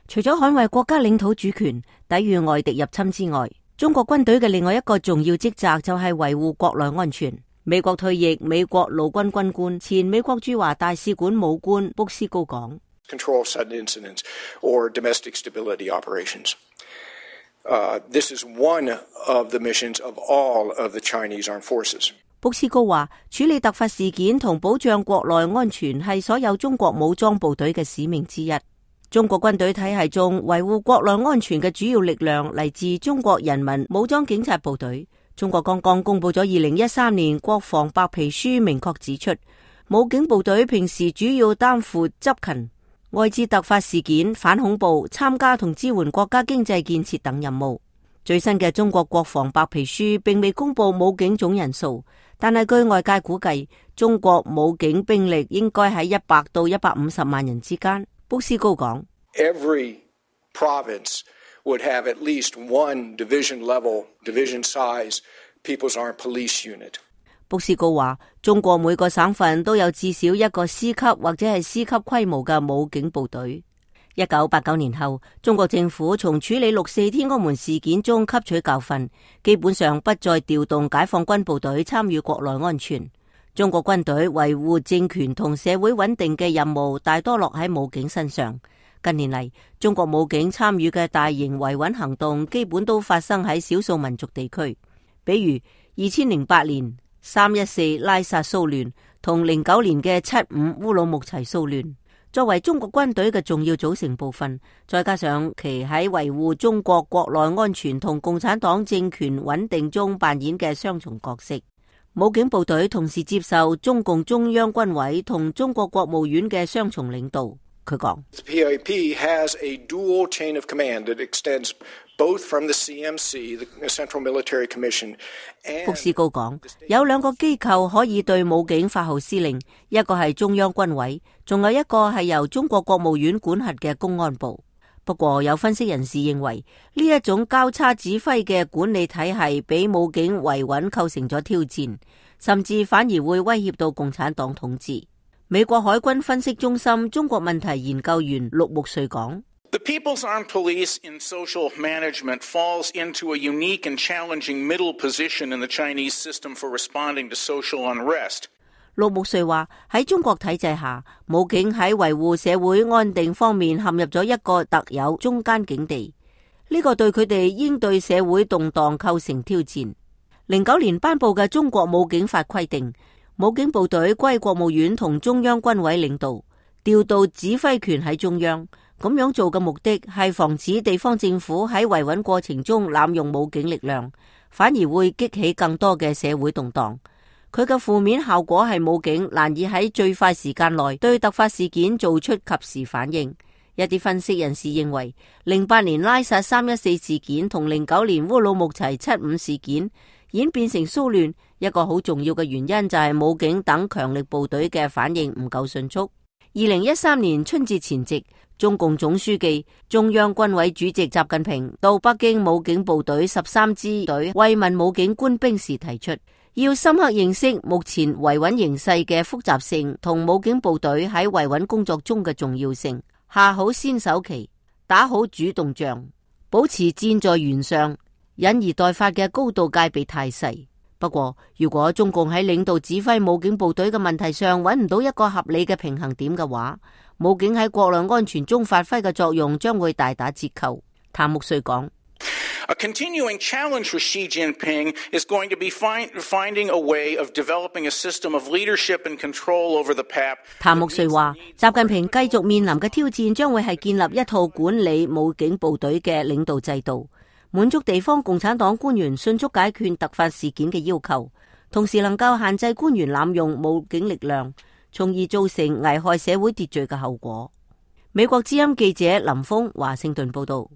除咗捍衛國家領土主權、抵禦外敵入侵之外，中國軍隊嘅另外一個重要職責就係維護國內安全。美國退役美國陸軍軍官、前美國駐華大使館武官卜斯高講：Control sudden incidents or domestic stability operations. This is one of the missions of all of the Chinese armed forces. 卜斯高話：處理突發事件同保障國內安全係所有中國武裝部隊嘅使命之一。中國軍隊體系中維護國內安全嘅主要力量嚟自中國人民武裝警察部隊。中國剛剛公布咗2013年國防白皮書，明確指出，武警部隊平時主要擔負執勤、外置突發事件、反恐怖、參加同支援國家經濟建設等任務。最新嘅中國國防白皮書並未公布武警總人數，但係據外界估計，中國武警兵力應該喺100到150萬人之間。卜斯高講 ：Every province would have at least one division level, division size People's Armed Police Unit。卜斯高話：中國每個省份都有至少一個師級或者係師級規模嘅武警部隊。1989年後，中國政府從處理6·4天安門事件中吸取教訓，基本上不再調動解放軍部隊參與國內安全。中國軍隊維護政權同社會穩定嘅任務大多落喺武警身上。近年嚟，中國武警參與嘅大型維穩行動基本都發生喺少數民族地區，比如2008年314拉薩騷亂同09年嘅75烏魯木齊騷亂。作為中國軍隊嘅重要組成部分，再加上其喺維護中國國內安全同共產黨政權穩定中扮演嘅雙重角色，武警部隊同時接受中共中央軍委同中國國務院嘅雙重領導。佢講 ：PAP has a dual chain of command that extends both from the CMC, the Central Military Commission。卜斯高講，有兩個機構可以對武警發號施令，一個係中央軍委，仲有一個係由中國國務院管轄嘅公安部。不過有分析人士認為，呢一種交叉指揮嘅管理體系俾武警維穩構成咗挑戰，甚至反而會威脅到共產黨統治。美國海軍分析中心中國問題研究員陸木瑞講：The People's Armed Police in social management falls into a unique and challenging middle position in the Chinese system for responding to social unrest。陸木瑞話：喺中國體制下，武警喺維護社會安定方面陷入咗一個特有中間境地，呢個對佢哋應對社會動盪構成挑戰。09年頒布嘅中國武警法規定，武警部隊歸國務院同中央軍委領導，調度指揮權喺中央。咁樣做嘅目的係防止地方政府喺維穩過程中濫用武警力量，反而會激起更多嘅社會動盪。佢嘅負面效果係武警難以喺最快時間內對突發事件做出及時反應。一啲分析人士認為，08年拉薩314事件同09年烏魯木齊75事件演變成騷亂，一個好重要嘅原因就係武警等強力部隊嘅反應唔夠迅速。2013年春節前夕，中共總書記、中央軍委主席習近平到北京武警部隊13支隊慰問武警官兵時提出，要深刻認識目前維穩形勢嘅複雜性同武警部隊喺維穩工作中嘅重要性，下好先手棋，打好主動仗，保持箭在弦上，引而待發嘅高度戒備態勢。不過，如果中共喺領導指揮武警部隊嘅問題上揾唔到一個合理嘅平衡點嘅話，武警喺國內安全中發揮嘅作用將會大打折扣。譚木瑞講：A continuing challenge for Xi Jinping is going to be finding a way of developing a system of leadership and control over the PAP。譚木瑞話：習近平繼續面臨嘅挑戰將會係建立一套管理武警部隊嘅領導制度，滿足地方共產黨官員迅速解決突發事件嘅要求，同時能夠限制官員濫用武警力量，從而造成危害社會秩序嘅後果。美國之音記者林峰華盛頓報道。